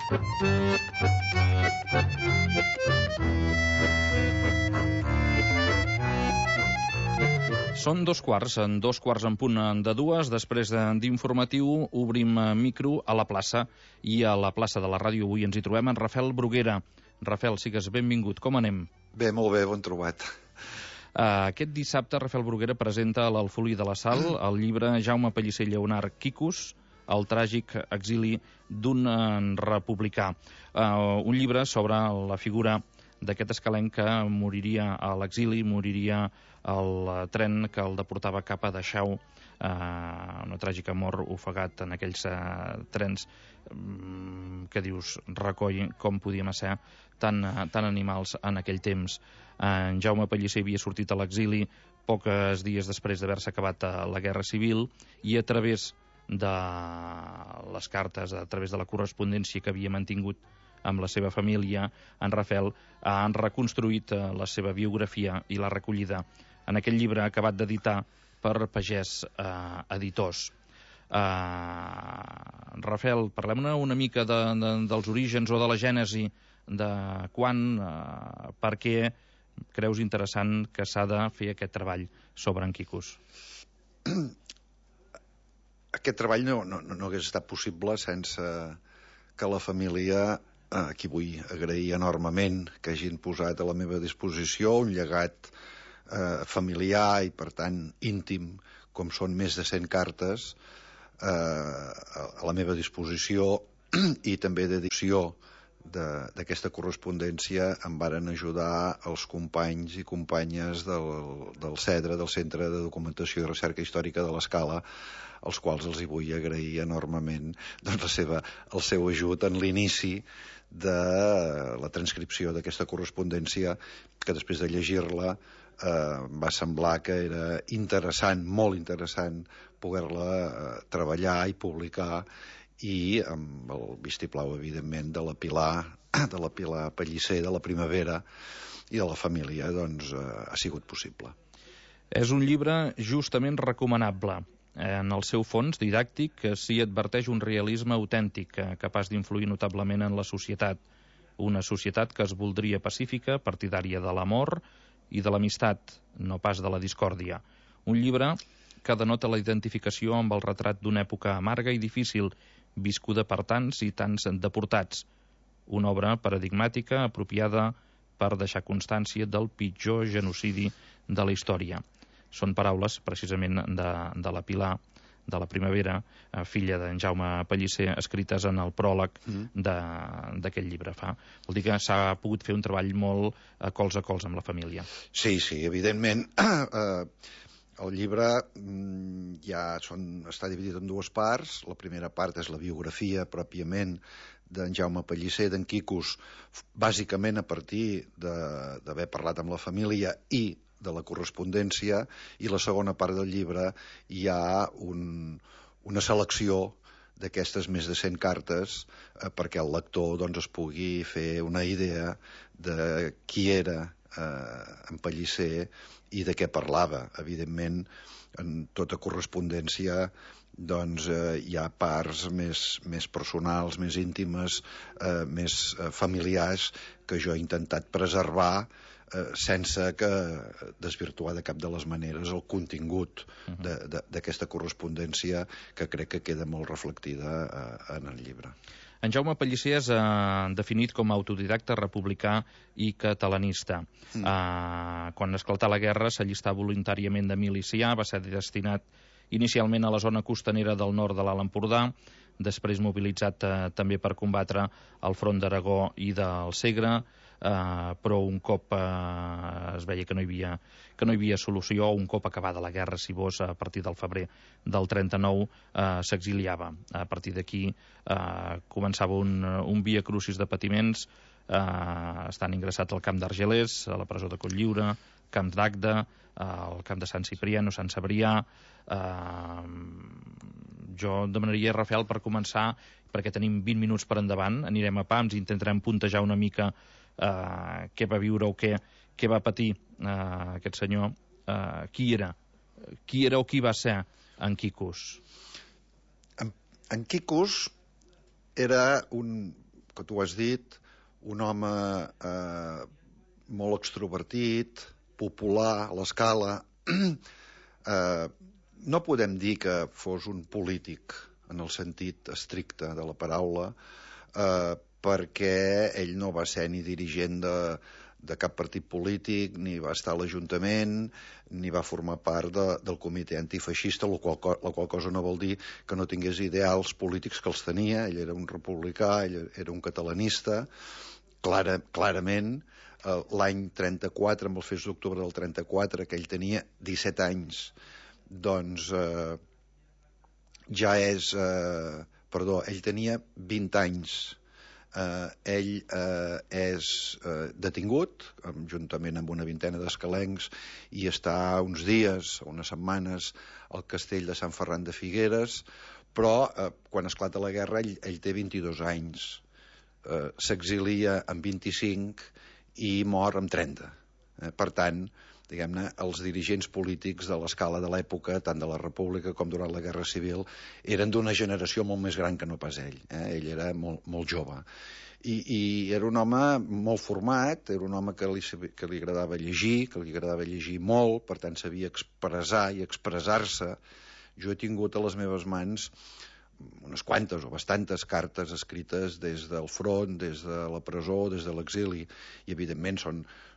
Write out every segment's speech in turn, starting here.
Són dos quarts en punt de dues. Després d'informatiu obrim micro a la plaça, i a la plaça de la ràdio avui ens hi trobem en Rafael Bruguera. Rafael, sigues benvingut. Com anem? Bé, molt bé, bon trobat. Aquest dissabte Rafael Bruguera presenta a l'Alfolí de la Sal el llibre Jaume Pellicer Lleonart Quicos, el tràgic exili d'un republicà. Un llibre sobre la figura d'aquest escalenc que moriria a l'exili, moriria al tren que el deportava cap a Dachau, una tràgica mort, ofegat en aquells trens que dius, recoll com podíem ser tan animals en aquell temps. En Jaume Pellicer havia sortit a l'exili pocs dies després d'haver-se acabat la Guerra Civil, i a través de les cartes, a través de la correspondència que havia mantingut amb la seva família, en Rafael ha reconstruït la seva biografia i l'ha recollida en aquell llibre acabat d'editar per Pagès Editors. Rafael, parlem-ne una mica dels orígens o de la gènesi, de quan, per què creus interessant que s'ha de fer aquest treball sobre en Quicos? Aquest treball no hagués estat possible sense que la família, a qui vull agrair enormement que hagin posat a la meva disposició un llegat familiar i per tant íntim, com són més de 100 cartes a la meva disposició, i també d'edició d'aquesta correspondència em varen ajudar els companys i companyes del CEDRA, del Centre de Documentació i Recerca Històrica de l'Escala, als quals els hi vull agrair enormement doncs, el seu ajut en l'inici de la transcripció d'aquesta correspondència, que després de llegir-la va semblar que era interessant, molt interessant, poder-la treballar i publicar, i amb el vistiplau, evidentment, de la Pilar Pellicer, de la Primavera i de la família, doncs ha sigut possible. És un llibre justament recomanable. En el seu fons didàctic s'hi adverteix un realisme autèntic capaç d'influir notablement en la societat. Una societat que es voldria pacífica, partidària de l'amor i de l'amistat, no pas de la discòrdia. Un llibre que denota la identificació amb el retrat d'una època amarga i difícil, viscuda per tants i tants deportats. Una obra paradigmàtica, apropiada per deixar constància del pitjor genocidi de la història. Són paraules, precisament, de la Pilar, de la Primavera, filla d'en Jaume Pellicer, escrites en el pròleg d'aquest llibre. Vol dir que s'ha pogut fer un treball molt cols a cols amb la família. Sí, evidentment. El llibre està dividit en dues parts. La primera part és la biografia pròpiament d'en Jaume Pellicer, d'en Quicos, bàsicament a partir d'haver parlat amb la família i de la correspondència, i la segona part del llibre hi ha una selecció d'aquestes més de 100 cartes perquè el lector es pugui fer una idea de qui era en Pellicer i de què parlava. Evidentment, en tota correspondència hi ha parts més personals, més íntimes, més familiars, que jo he intentat preservar sense que desvirtuar de cap de les maneres el contingut d'aquesta correspondència, que crec que queda molt reflectida en el llibre. En Jaume Pellicer és definit com a autodidacta, republicà i catalanista. Quan esclatà la guerra s'allistà voluntàriament de milicià, va ser destinat inicialment a la zona costanera del nord de l'Alt Empordà, després mobilitzat també per combatre al front d'Aragó i del Segre, però un cop es veia que no hi havia solució, un cop acabada la guerra, si vols, a partir del febrer del 39, s'exiliava. A partir d'aquí començava un via crucis de patiments, estan ingressats al camp d'Argelers, a la presó de Cotlliure, camps d'Agde, al camp de Sant Cipriano, Sant Cebrià. Jo demanaria, Rafael, per començar, perquè tenim 20 minuts per endavant, anirem a pams i intentarem puntejar una mica què va viure o què va patir aquest senyor. Qui era o qui va ser en Quicos? En Quicos era un que tu has dit, un home molt extrovertit, popular, a l'escala. No podem dir que fos un polític en el sentit estricte de la paraula, perquè ell no va ser ni dirigent de cap partit polític, ni va estar a l'Ajuntament, ni va formar part del comitè antifeixista, la qual cosa no vol dir que no tingués ideals polítics, que els tenia. Ell era un republicà, ell era un catalanista, clarament. L'any 34, amb els fets d'octubre del 34, que ell tenia 17 anys, doncs ja és... ell tenia 20 anys. Ell és detingut, juntament amb una vintena d'escalencs, i està uns dies, unes setmanes, al castell de Sant Ferran de Figueres, però quan esclata la guerra ell té 22 anys. S'exilia amb 25 i mor amb 30. Per tant, diguem-ne, els dirigents polítics de l'escala de l'època, tant de la República com durant la Guerra Civil, eren d'una generació molt més gran que no pas ell. Ell era molt jove. I era un home molt format, era un home que li agradava llegir, que li agradava llegir molt, per tant sabia expressar i expressar-se. Jo he tingut a les meves mans unes quantes o bastantes cartes escrites des del front, des de la presó, des de l'exili, i evidentment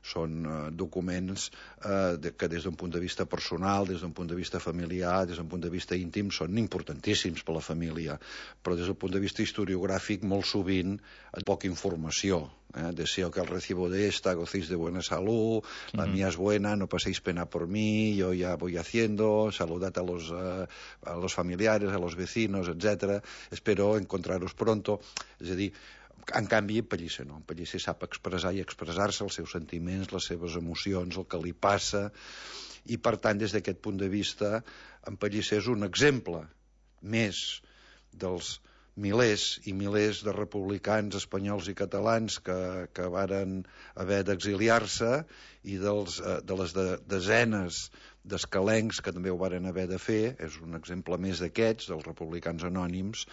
són documents que des d'un punt de vista personal, des d'un punt de vista familiar, des d'un punt de vista íntim, són importantíssims per a la família, però des del punt de vista historiogràfic molt sovint poca informació. Deseo que al recibo de esta gocéis de buena salud, la mía es buena, no paséis pena por mí, yo ya voy haciendo, saludad a los familiares, a los vecinos, etcétera, espero encontraros pronto. És a dir, en canvi, Pellicer no. Pellicer sap expressar i expressar-se els seus sentiments, les seves emocions, el que li passa, i per tant, des d'aquest punt de vista, en Pellicer és un exemple més dels milers i milers de republicans espanyols i catalans que varen haver d'exiliar-se i de les desenes d'escalencs que també ho varen haver de fer. És un exemple més d'aquests, dels republicans anònims,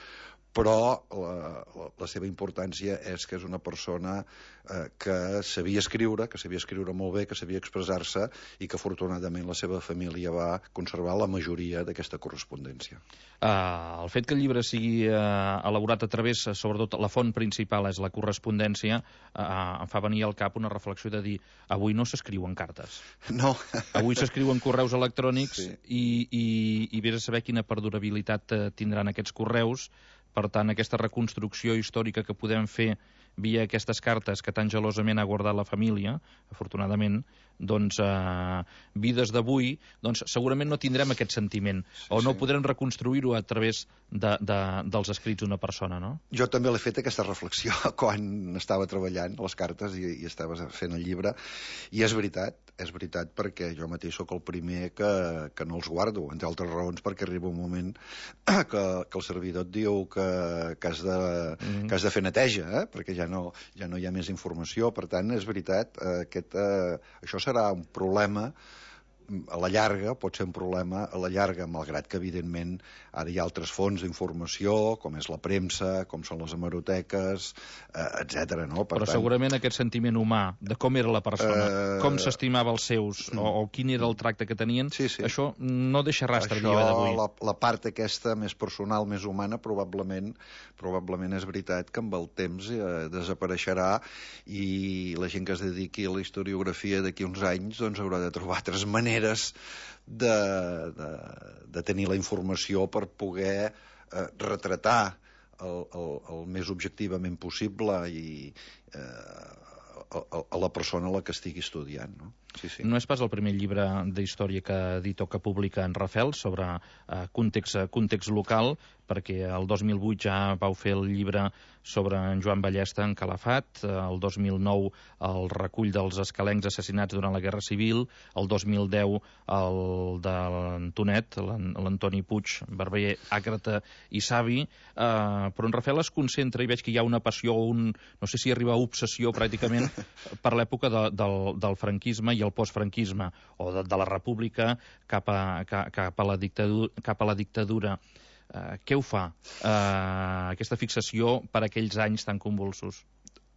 però la seva importància és que és una persona que sabia escriure molt bé, que sabia expressar-se, i que afortunadament la seva família va conservar la majoria d'aquesta correspondència. El fet que el llibre sigui elaborat a través, sobretot la font principal és la correspondència, em fa venir al cap una reflexió de dir, avui no s'escriuen cartes. No. Avui s'escriuen correus electrònics, sí. i vés a saber quina perdurabilitat tindran aquests correus. Per tant, aquesta reconstrucció històrica que podem fer via aquestes cartes que tan gelosament ha guardat la família, afortunadament, doncs, vides d'avui, doncs segurament no tindrem aquest sentiment, o no podrem reconstruir-ho a través dels escrits d'una persona, no? Jo també l'he fet aquesta reflexió quan estava treballant les cartes i estava fent el llibre, i és veritat perquè jo mateix sóc el primer que no els guardo, entre altres raons perquè arriba un moment que el servidor et diu que has de fer neteja, perquè ja no hi ha més informació. Per tant, és veritat, això serà un problema a la llarga, pot ser un problema a la llarga, malgrat que, evidentment, ara hi ha altres fonts d'informació, com és la premsa, com són les hemeroteques, etc. No? Però segurament aquest sentiment humà de com era la persona, com s'estimava els seus, o quin era el tracte que tenien, això no deixa rastre el dia d'avui. La part aquesta més personal, més humana, probablement és veritat que amb el temps desapareixerà, i la gent que es dediqui a la historiografia d'aquí uns anys doncs haurà de trobar altres maneres de tenir la informació per poder retratar el més objectivament possible i a la persona a la que estigui estudiant, no? Sí. No és pas el primer llibre d'història que edita o que publica en Rafel sobre context local, perquè el 2008 ja vau fer el llibre sobre en Joan Ballesta en Calafat, el 2009 el recull dels escalencs assassinats durant la Guerra Civil, el 2010 el de l'Antonet, l'Antoni Puig, Barber, Àcrata i Savi, però en Rafel es concentra, i veig que hi ha una passió, no sé si arriba a obsessió pràcticament, per l'època del franquisme i el postfranquisme, o de la república cap a la dictadura. Què ho fa, aquesta fixació per aquells anys tan convulsos?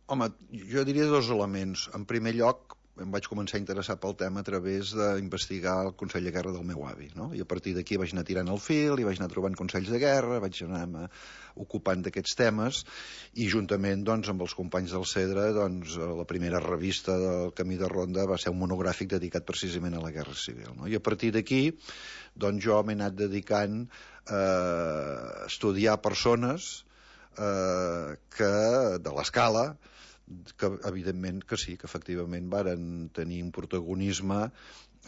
Home, jo diria dos elements. En primer lloc, em vaig començar a interessar pel tema a través d'investigar el Consell de Guerra del meu avi, no? I a partir d'aquí vaig anar tirant el fil i vaig anar trobant consells de guerra, vaig anar ocupant d'aquests temes i juntament doncs, amb els companys del CEDRA doncs, la primera revista del Camí de Ronda va ser un monogràfic dedicat precisament a la Guerra Civil, no? I a partir d'aquí doncs, jo m'he anat dedicant a estudiar persones de l'escala que evidentment que sí, que efectivament varen tenir un protagonisme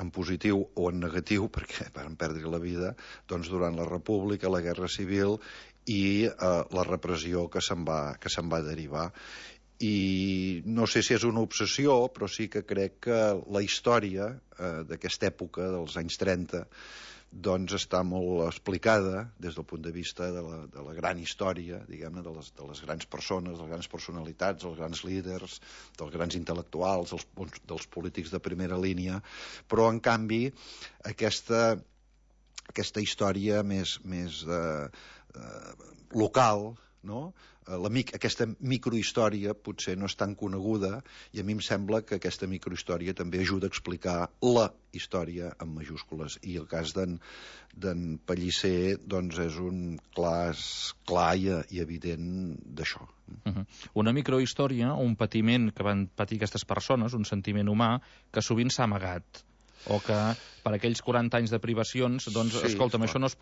en positiu o en negatiu, perquè varen perdre la vida doncs, durant la República, la Guerra Civil i la repressió que se'n va derivar. I no sé si és una obsessió, però sí que crec que la història d'aquesta època, dels anys 30, doncs està molt explicada des del punt de vista de la gran història, diguem-ne, de les grans persones, de les grans personalitats, dels grans líders, dels grans intel·lectuals, dels polítics de primera línia, però en canvi aquesta història més local, no? Aquesta microhistòria potser no és tan coneguda i a mi em sembla que aquesta microhistòria també ajuda a explicar la història en majúscules i el cas d'en Pellicer doncs és un clar i evident d'això. Una microhistòria, un patiment que van patir aquestes persones, un sentiment humà que sovint s'ha amagat o que per aquells 40 anys de privacions doncs, sí, escolta'm, això no es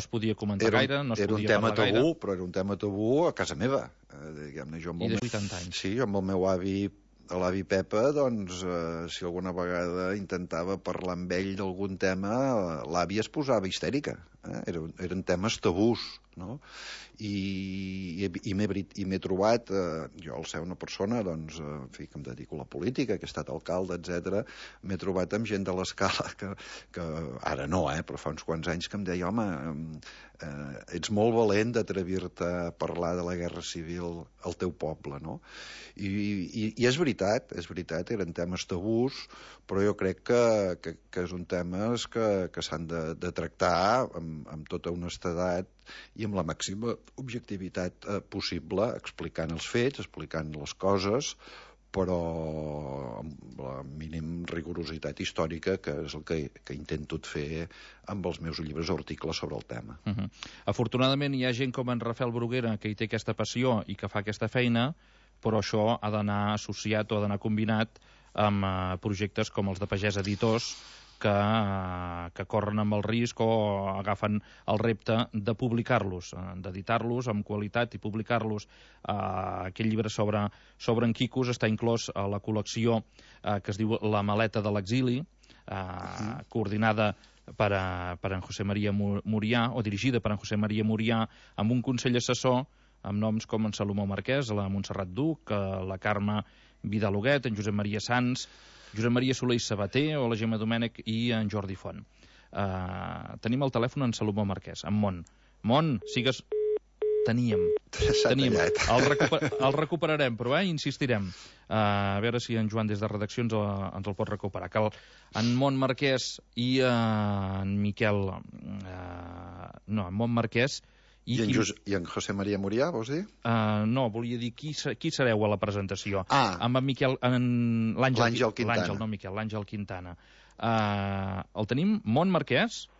podia comentar gaire, no es podia parlar gaire. Era un tema tabú, però era un tema tabú a casa meva. Diguem-ne, I de 80 anys. Sí, jo amb el meu avi, l'avi Pepa, doncs, si alguna vegada intentava parlar amb ell d'algun tema, l'àvia es posava histèrica. Eren temes tabús, no? I m'he trobat, jo al ser una persona doncs, en fi, que em dedico a la política, que he estat alcalde, etc, m'he trobat amb gent de l'escala que ara no, però fa uns quants anys que em deia, home, ets molt valent d'atrevir-te a parlar de la Guerra Civil al teu poble, no? I és veritat, eren temes tabús, però jo crec que és un temes que s'han de tractar amb tota honestedat i amb la màxima objectivitat possible, explicant els fets, explicant les coses, però amb la mínim rigorositat històrica, que és el que intento fer amb els meus llibres o articles sobre el tema. Afortunadament hi ha gent com en Rafael Bruguera que hi té aquesta passió i que fa aquesta feina, però això ha d'anar associat o ha d'anar combinat amb projectes com els de Pagès Editors, que corren amb el risc o agafen el repte de publicar-los, d'editar-los amb qualitat i publicar-los. Aquest llibre sobre en Quicos està inclòs a la col·lecció que es diu La maleta de l'exili, coordinada per en José María Murià, o dirigida per en José María Murià, amb un consell assessor amb noms com en Salomó Marquès, la Montserrat Duc, la Carme Vidal-Huguet, en Josep Maria Sans, Josep Maria Soler i Sabater o la Gemma Domènech i en Jordi Font. Tenim al telèfon en Salomó Marquès, en Mont. Mont, sigues... Teníem. El recuperarem, però insistirem. A veure si en Joan des de redacció ens el pot recuperar. Que en Mont Marquès i en Miquel... No, en Mont Marquès... I en José María Murià, vols dir? No, volia dir qui sereu a la presentació. Amb en Miquel... L'Àngel Quintana. L'Àngel, no Miquel, l'Àngel Quintana. El tenim? Mont Marquès?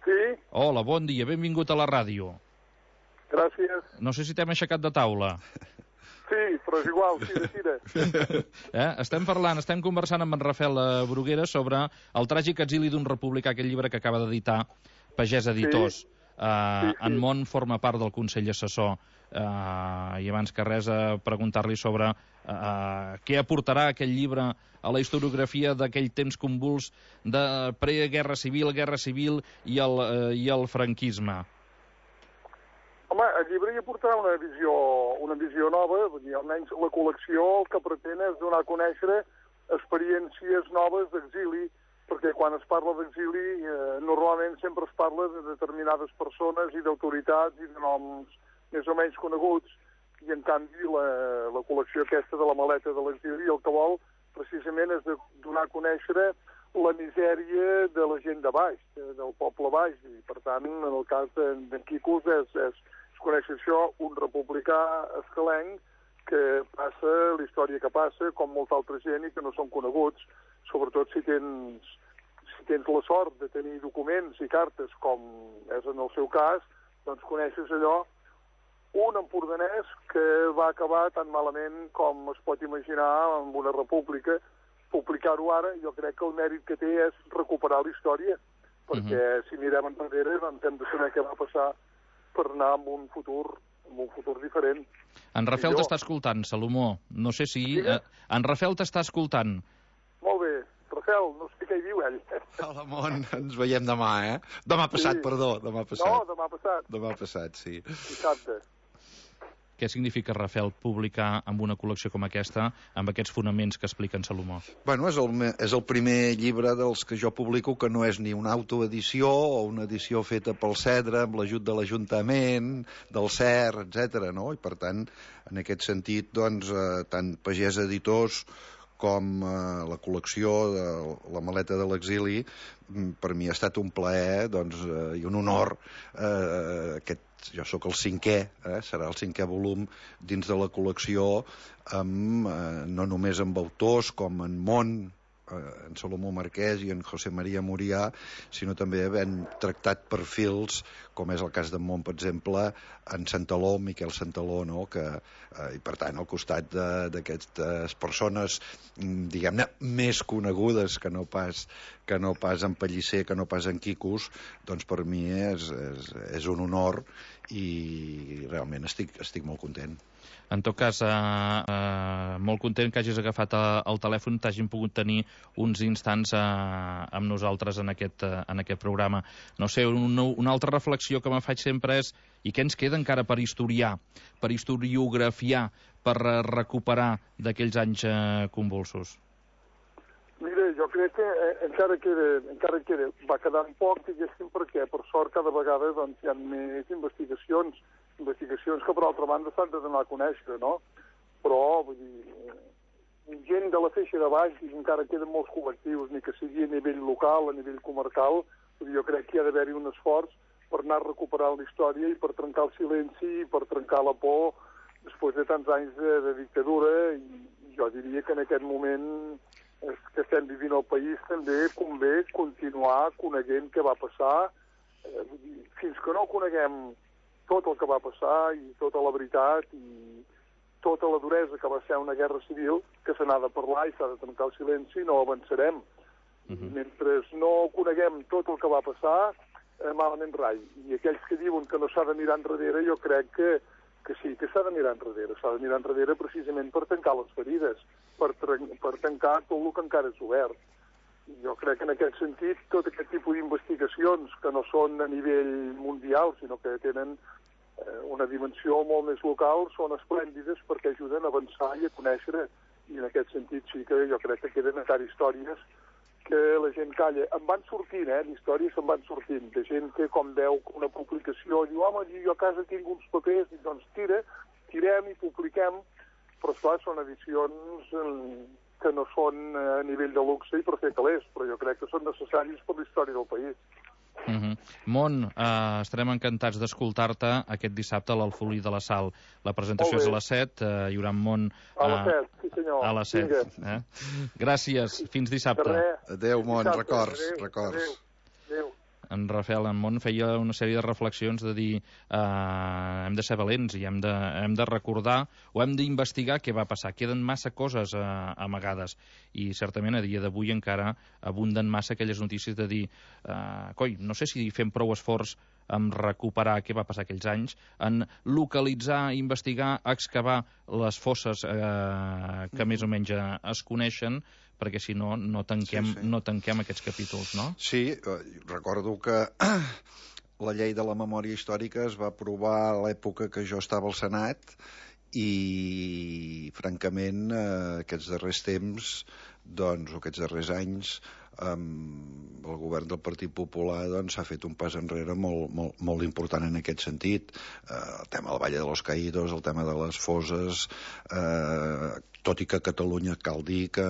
Sí. Hola, bon dia, benvingut a la ràdio. Gràcies. No sé si t'hem aixecat de taula. Sí, però és igual, tira. Estem conversant amb en Rafael Bruguera sobre el tràgic exili d'un republicà, aquest llibre que acaba d'editar Pagès Editors. Sí. En Mont forma part del Consell Assessor i abans que res preguntar-li sobre què aportarà aquest llibre a la historiografia d'aquell temps convuls de pre-guerra civil i el franquisme. Home, el llibre hi aportarà una visió nova, almenys la col·lecció el que pretén és donar a conèixer experiències noves d'exili, perquè quan es parla d'exili normalment sempre es parla de determinades persones i d'autoritats i de noms més o menys coneguts, i en canvi la col·lecció aquesta de la maleta de l'exili el que vol precisament és de donar a conèixer la misèria de la gent de baix, del poble baix, i per tant, en el cas d'en Quicos és conèixer això, un republicà escalenc que passa la història que passa, com molta altra gent, i que no són coneguts, sobretot si tens la sort de tenir documents i cartes, com és en el seu cas, doncs coneixes allò, un empordanès que va acabar tan malament com es pot imaginar en una república. Publicar-ho ara, jo crec que el mèrit que té és recuperar la història, perquè si mirem enrere doncs hem de saber què va passar per anar en un futur diferent. En Rafel t'està escoltant, Salomó. No sé si... En Rafel t'està escoltant. Molt bé. Rafel, no sé què hi diu ell. Hola, Mont, ens veiem demà, Demà passat, perdó, demà passat. No, demà passat. Demà passat, sí. Dissabte. Què significa, Rafel, publicar amb una col·lecció com aquesta, amb aquests fonaments que explica en Salomó? Bueno, és el primer llibre dels que jo publico que no és ni una autoedició o una edició feta pel Cedre, amb l'ajut de l'Ajuntament, del CER, etc. No? I, per tant, en aquest sentit, doncs, tant Pagès Editors com la col·lecció de la maleta de l'exili, per mi ha estat un plaer i un honor. Jo sóc el 5è, serà el 5è volum dins de la col·lecció, no només amb autors com en Mont, en Salomó Marquès i en José María Murià, sinó també havent tractat perfils, com és el cas d'en Mont, per exemple, en Santaló, Miquel Santaló, no? I per tant, al costat d'aquestes persones, diguem-ne, més conegudes que no pas en Pellicer, que no pas en Quicos, doncs per mi és un honor i realment estic molt content. En tot cas, molt content que hagis agafat el telèfon, t'hagin pogut tenir uns instants amb nosaltres en aquest programa. No sé, una altra reflexió que me faig sempre és i què ens queda encara per historiar, per historiografiar, per recuperar d'aquells anys convulsos? Mira, jo crec que encara queda, va quedant poc, diguéssim, perquè per sort cada vegada doncs, hi ha més investigacions que per altra banda s'han de donar a conèixer, no? Però, vull dir, gent de la feixa de baix, i encara queden molts col·lectius, ni que sigui a nivell local, a nivell comarcal, vull dir, jo crec que hi ha d'haver-hi un esforç per anar recuperant la història i per trencar el silenci i per trencar la por després de tants anys de dictadura, i jo diria que en aquest moment que estem vivint al país també convé continuar coneguent què va passar, fins que no coneguem tot el que va passar i tota la veritat i tota la duresa que va ser una guerra civil, que se n'ha de parlar i s'ha de trencar el silenci, no avançarem. Mentre no coneguem tot el que va passar, malament rai. I aquells que diuen que no s'ha de mirar enrere, jo crec que sí, que s'ha de mirar enrere. S'ha de mirar enrere precisament per tancar les ferides, per tancar tot el que encara és obert. Jo crec que en aquest sentit tot aquest tipus d'investigacions que no són a nivell mundial, sinó que tenen una dimensió molt més local, són esplèndides perquè ajuden a avançar i a conèixer, i en aquest sentit sí que jo crec que queden encara històries que la gent calla. En van sortint, d'històries se'n van sortint, de gent que com veu una publicació diu, home, jo a casa tinc uns papers, i doncs tirem i publiquem, però esclar, són edicions que no són a nivell de luxe i per fer calés, però jo crec que són necessaris per la història del país. Mont, estarem encantats d'escoltar-te aquest dissabte a l'Alfolí de la Sal. La presentació és a les 7, hi haurà en Mont... A les 7, sí senyor. A les 7. Gràcies, fins dissabte. Adéu, Mont, records. Adéu. En Rafel, en Mont, feia una sèrie de reflexions de dir hem de ser valents i hem de recordar o hem d'investigar què va passar. Queden massa coses amagades i certament a dia d'avui encara abunden massa aquelles notícies de dir no sé si fem prou esforç en recuperar què va passar aquells anys, en localitzar, investigar, excavar les fosses que més o menys es coneixen, perquè si no, no tanquem aquests capítols, no? Sí, recordo que la llei de la memòria històrica es va aprovar a l'època que jo estava al Senat i, francament, aquests darrers temps, doncs, o aquests darrers anys, el govern del Partit Popular s'ha fet un pas enrere molt important en aquest sentit. El tema del Valle de los Caídos, el tema de les fosses, tot i que a Catalunya cal dir que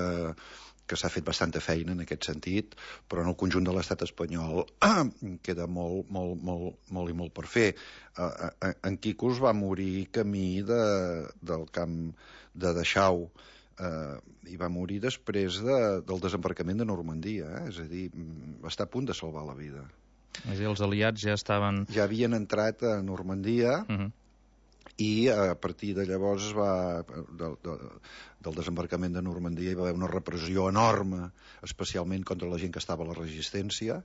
que s'ha fet bastanta feina en aquest sentit, però en el conjunt de l'estat espanyol queda molt per fer. En Quicos va morir camí del camp de Dachau, i va morir després del desembarcament de Normandia, és a dir, va estar a punt de salvar la vida. És a dir, els aliats ja estaven... Ja havien entrat a Normandia, i a partir de llavors del desembarcament de Normandia hi va haver una repressió enorme, especialment contra la gent que estava a la resistència.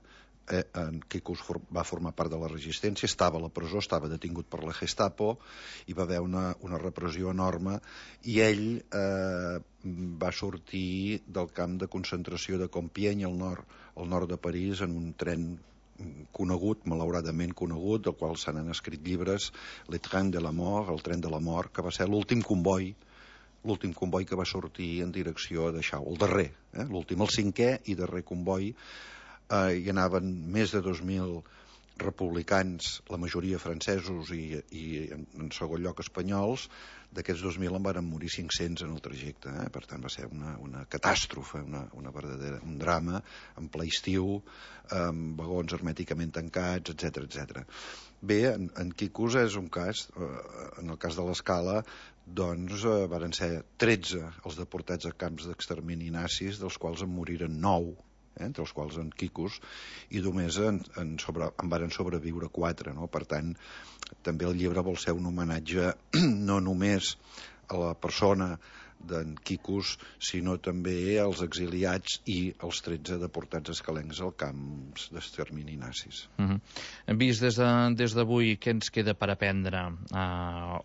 En Quicos va formar part de la resistència, estava a la presó, estava detingut per la Gestapo, hi va haver una repressió enorme, i ell va sortir del camp de concentració de Compiègne, al nord de París, en un tren conegut, malauradament conegut, del qual se n'han escrit llibres, Le Train de la Mort, el tren de la mort, que va ser l'últim comboi que va sortir en direcció a Dachau, el darrer, l'últim, el cinquè i darrer comboi. Hi anaven més de 2.000 republicans, la majoria francesos i en segon lloc espanyols. D'aquests 2.000 en van morir 500 en el trajecte, per tant va ser una catàstrofe, un drama, en ple estiu, amb vagons hermèticament tancats, etc. Bé, en Quicos és un cas, en el cas de l'Escala, doncs varen ser 13 els deportats a camps d'extermini nazis, dels quals en moriren 9, entre els quals en Quicos, i només en varen sobreviure 4, no? Per tant, també el llibre vol ser un homenatge no només a la persona d'en Quicos, sinó també als exiliats i als 13 deportats escalencs al camps d'extermini nazis. Vist des d'avui, què ens queda per aprendre?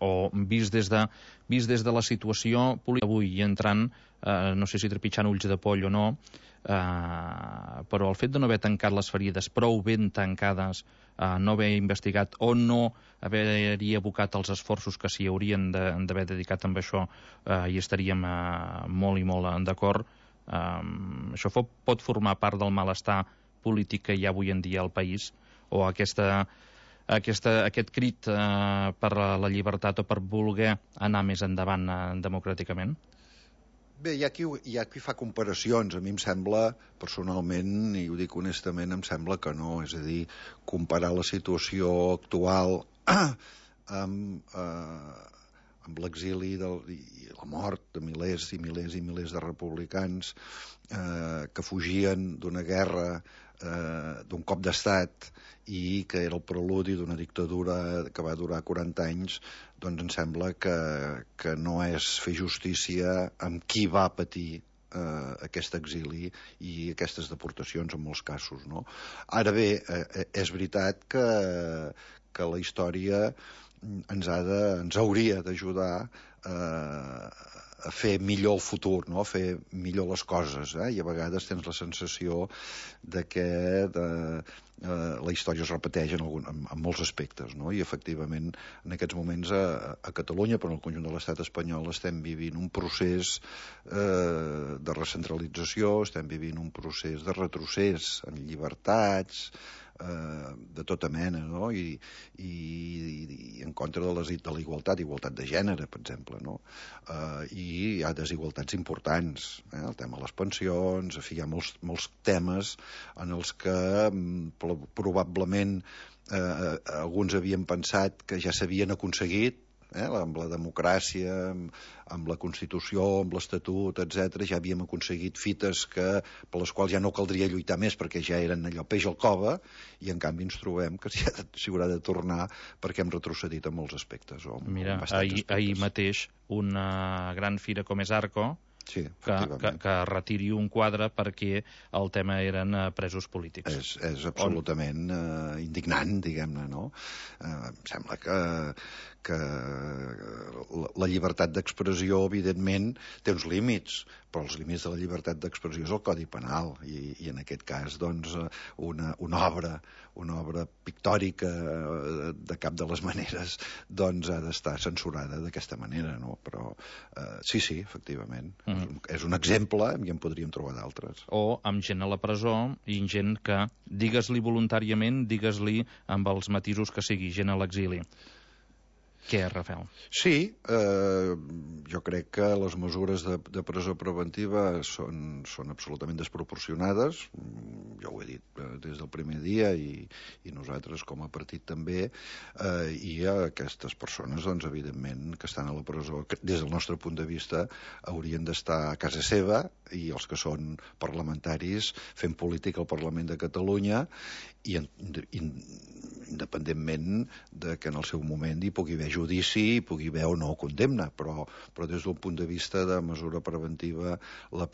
O vist des de la situació política avui, i entrant, no sé si trepitjant ulls de poll o no, però el fet de no haver tancat les ferides prou ben tancades, no haver investigat o no haver-hi abocat els esforços que s'hi haurien d'haver dedicat amb això, hi estaríem molt i molt d'acord. Això pot formar part del malestar polític que hi ha avui en dia al país, o aquest crit per la llibertat o per voler anar més endavant democràticament? Bé, hi ha qui fa comparacions. A mi em sembla, personalment, i ho dic honestament, em sembla que no. És a dir, comparar la situació actual amb l'exili i la mort de milers i milers i milers de republicans que fugien d'una guerra, d'un cop d'estat, i que era el preludi d'una dictadura que va durar 40 anys, doncs em sembla que no és fer justícia amb qui va patir aquest exili i aquestes deportacions en molts casos, no? Ara bé, és veritat que la història ens hauria d'ajudar a fer millor el futur, no? A fer millor les coses, i a vegades tens la sensació de que la història es repeteix en molts aspectes, no? I efectivament en aquests moments a Catalunya, però en el conjunt de l'estat espanyol, estem vivint un procés de recentralització, estem vivint un procés de retrocés en llibertats de tota mena, no? I en contra de la igualtat de gènere, per exemple, no? I hi ha desigualtats importants, el tema de les pensions, en fi, hi ha molts temes en els que probablement alguns havien pensat que ja s'havien aconseguit, amb la democràcia, amb la Constitució, amb l'Estatut, etc. Ja havíem aconseguit fites per les quals ja no caldria lluitar més perquè ja eren allò peix al cove, i en canvi ens trobem que s'hi haurà de tornar perquè hem retrocedit en molts aspectes. Mira, ahir mateix una gran fira com és Arco, sí, que retiri un quadre perquè el tema eren presos polítics. És absolutament indignant, diguem-ne, no? Em sembla que la llibertat d'expressió, evidentment, té uns límits, però els límits de la llibertat d'expressió és el Codi Penal, i en aquest cas, doncs, una obra pictòrica de cap de les maneres, doncs ha d'estar censurada d'aquesta manera, no? Però sí, efectivament, és un exemple, i en podríem trobar d'altres. O amb gent a la presó i gent que, digues-li voluntàriament, digues-li amb els matisos que sigui, gent a l'exili. Què, Rafael? Sí, jo crec que les mesures de presó preventiva són absolutament desproporcionades. Jo ho he dit des del primer dia i nosaltres com a partit també, i aquestes persones, doncs, evidentment, que estan a la presó, que des del nostre punt de vista haurien d'estar a casa seva, i els que són parlamentaris fent política al Parlament de Catalunya, i independentment de que en el seu moment hi pugui haver judici, hi pugui haver o no condemna, però des d'un punt de vista de mesura preventiva la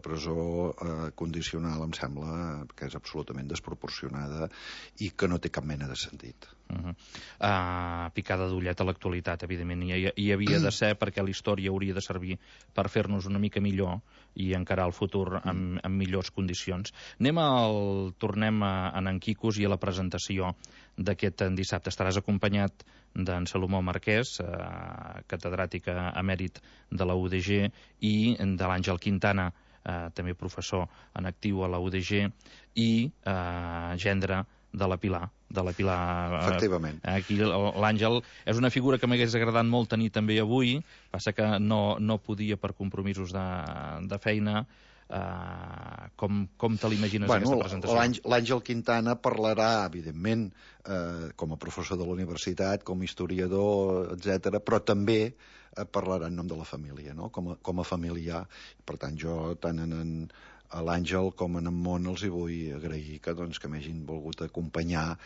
presó condicional em sembla que és absolutament desproporcionada i que no té cap mena de sentit. Picada d'ullet a l'actualitat, evidentment, hi havia de ser, perquè la història hauria de servir per fer-nos una mica millor i encarar el futur amb millors condicions. Tornem a en Quicos i a la presentació d'aquest dissabte. Estaràs acompanyat d'en Salomó Marquès, catedràtic emèrit de la UDG, i de l'Àngel Quintana, també professor en actiu a la UDG, i gendre de la Pilar. Efectivament. Aquí l'Àngel és una figura que m'hagués agradat molt tenir també avui, passa que no podia per compromisos de feina. Com te l'imagines, aquesta presentació? L'Àngel Quintana parlarà, evidentment, com a professor de la universitat, com a historiador, etc., però també parlarà en nom de la família, no? Com a familiar. Per tant, jo tant a l'Àngel com en Món els hi vull agrair que m'hagin volgut acompanyar,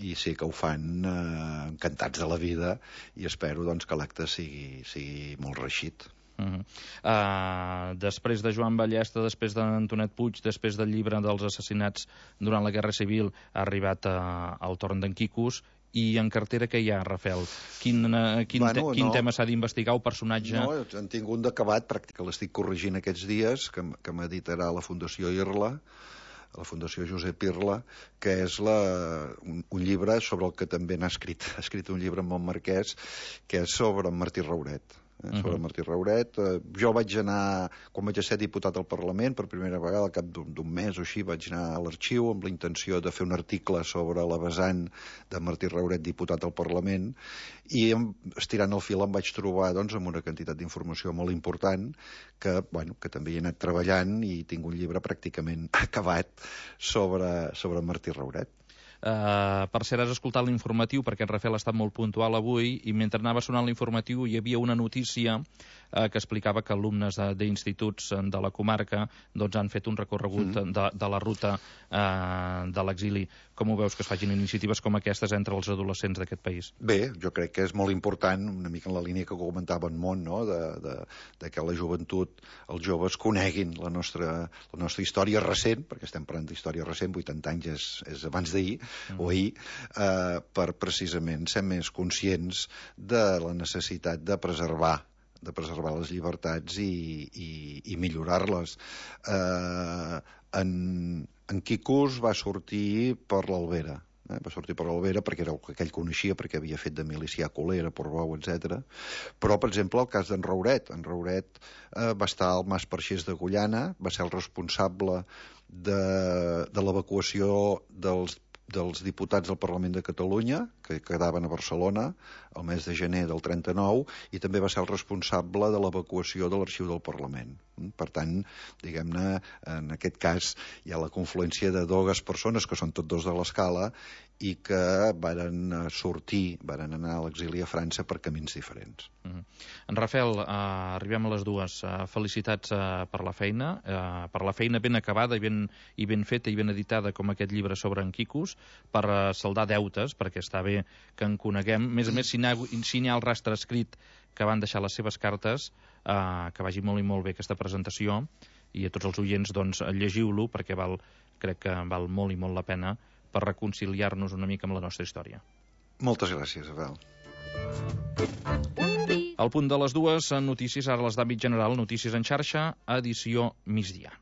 i sé que ho fan encantats de la vida, i espero que l'acte sigui molt reeixit. Després de Joan Ballesta, després d'Antonet Puig, després del llibre dels assassinats durant la Guerra Civil, ha arribat el torn d'en Quicos. I en cartera què hi ha, Rafael? Quin tema s'ha d'investigar, o personatge? No, en tinc un d'acabat, que l'estic corregint aquests dies, que m'editarà la Fundació Irla, la Fundació Josep Irla, que és un llibre sobre el que també n'ha escrit. Ha escrit un llibre amb en Marquès, que és sobre en Martí Rauret. Sobre Martí Rauret. Jo vaig anar, quan vaig ser diputat al Parlament, per primera vegada, al cap d'un mes o així, vaig anar a l'arxiu amb la intenció de fer un article sobre la vessant de Martí Rauret, diputat al Parlament, i estirant el fil em vaig trobar amb una quantitat d'informació molt important que també hi he anat treballant, i tinc un llibre pràcticament acabat sobre Martí Rauret. Per cert, has escoltat l'informatiu, perquè en Rafael ha estat molt puntual avui, i mentre anava sonant l'informatiu hi havia una notícia que explicava que alumnes d'instituts de la comarca han fet un recorregut de la ruta de l'exili. Com ho veus, que es facin iniciatives com aquestes entre els adolescents d'aquest país? Bé, jo crec que és molt important, una mica en la línia que comentava en Món, no? de que la joventut, els joves, coneguin la nostra història recent, perquè estem parlant d'història recent, 80 anys és abans d'ahir, o ahir, per precisament ser més conscients de la necessitat de preservar les llibertats i millorar-les. En Quicos va sortir per l'Albera. Va sortir per l'Albera perquè era el que ell coneixia, perquè havia fet de milicià a Colera, Portbou, etc. Però, per exemple, el cas d'en Rauret. En Rauret va estar al Mas Perxés de Gullana, va ser el responsable de l'evacuació dels diputats del Parlament de Catalunya, que quedaven a Barcelona el mes de gener del 39, i també va ser el responsable de l'evacuació de l'arxiu del Parlament. Per tant, diguem-ne, en aquest cas hi ha la confluència de dues persones que són tots dos de l'Escala i que varen anar a l'exili a França per camins diferents. En Rafael, arribem a les dues. Felicitats per la feina ben acabada i ben feta i ben editada, com aquest llibre sobre en Quicos, per saldar deutes, perquè està bé que en coneguem. A més, si n'hi ha el rastre escrit que van deixar les seves cartes, que vagi molt i molt bé aquesta presentació, i a tots els oients, llegiu-lo, perquè crec que val molt i molt la pena per reconciliar-nos una mica amb la nostra història. Moltes gràcies, Abel. Al punt de les dues, notícies, ara les d'àmbit general, notícies en xarxa, edició migdia.